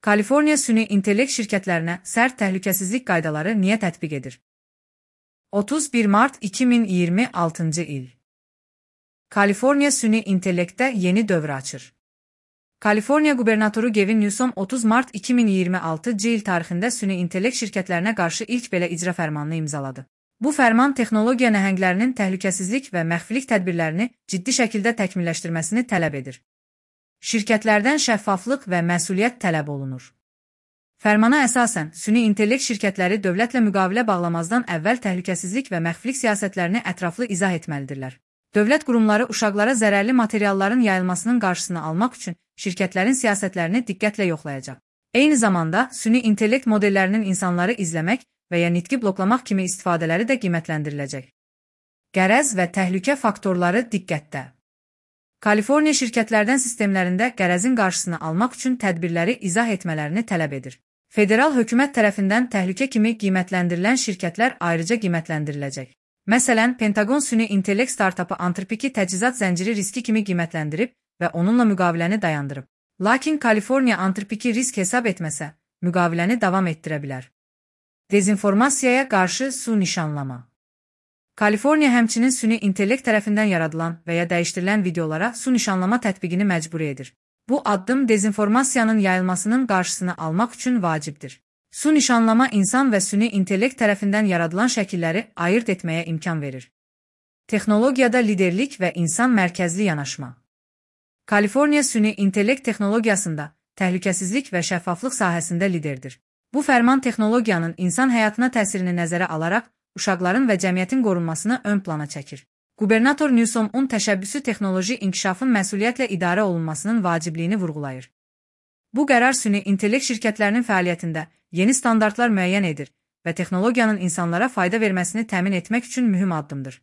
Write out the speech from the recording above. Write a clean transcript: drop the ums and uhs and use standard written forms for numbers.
Kaliforniya süni intellekt şirkətlərinə sərt təhlükəsizlik qaydaları niyə tətbiq edir? 31 mart 2026 il. Kaliforniya süni intellektdə yeni dövr açır. Kaliforniya qubernatoru Gavin Newsom 30 mart 2026 il tarixində süni intellekt şirkətlərinə qarşı ilk belə icra fərmanını imzaladı. Bu fərman texnologiya nəhənglərinin təhlükəsizlik və məxfilik tədbirlərini ciddi şəkildə təkmilləşdirməsini tələb edir. Şirkətlərdən şəffaflıq və məsuliyyət tələb olunur. Fərmana əsasən, süni intellekt şirkətləri dövlətlə müqavilə bağlamazdan əvvəl təhlükəsizlik və məxfilik siyasətlərini ətraflı izah etməlidirlər. Dövlət qurumları uşaqlara zərərli materialların yayılmasının qarşısını almaq üçün şirkətlərin siyasətlərini diqqətlə yoxlayacaq. Eyni zamanda, süni intellekt modellərinin insanları izləmək və ya nitqi bloklamaq kimi istifadələri də qiymətləndiriləcək. Qərəz və təhlükə faktorları diqqətdə. Kaliforniya şirkətlərdən sistemlərində qərəzin qarşısını almaq üçün tədbirləri izah etmələrini tələb edir. Federal hökumət tərəfindən təhlükə kimi qiymətləndirilən şirkətlər ayrıca qiymətləndiriləcək. Məsələn, Pentagon süni intellekt startapı Anthropic'i təchizat zənciri riski kimi qiymətləndirib və onunla müqaviləni dayandırıb. Lakin Kaliforniya Anthropic'i risk hesab etməsə, müqaviləni davam etdirə bilər. Dezinformasiyaya qarşı su nişanlama. Kaliforniya həmçinin süni intellekt tərəfindən yaradılan və ya dəyişdirilən videolara su nişanlama tətbiqini məcburi edir. Bu addım dezinformasiyanın yayılmasının qarşısını almaq üçün vacibdir. Su nişanlama insan və süni intellekt tərəfindən yaradılan şəkilləri ayırt etməyə imkan verir. Texnologiyada liderlik və insan mərkəzli yanaşma. Kaliforniya süni intellekt texnologiyasında təhlükəsizlik və şəffaflıq sahəsində liderdir. Bu fərman texnologiyanın insan həyatına təsirini nəzərə alaraq uşaqların və cəmiyyətin qorunmasını ön plana çəkir. Qubernator Newsomun təşəbbüsü texnoloji inkişafın məsuliyyətlə idarə olunmasının vacibliyini vurğulayır. Bu qərar süni intellekt şirkətlərinin fəaliyyətində yeni standartlar müəyyən edir və texnologiyanın insanlara fayda verməsini təmin etmək üçün mühüm addımdır.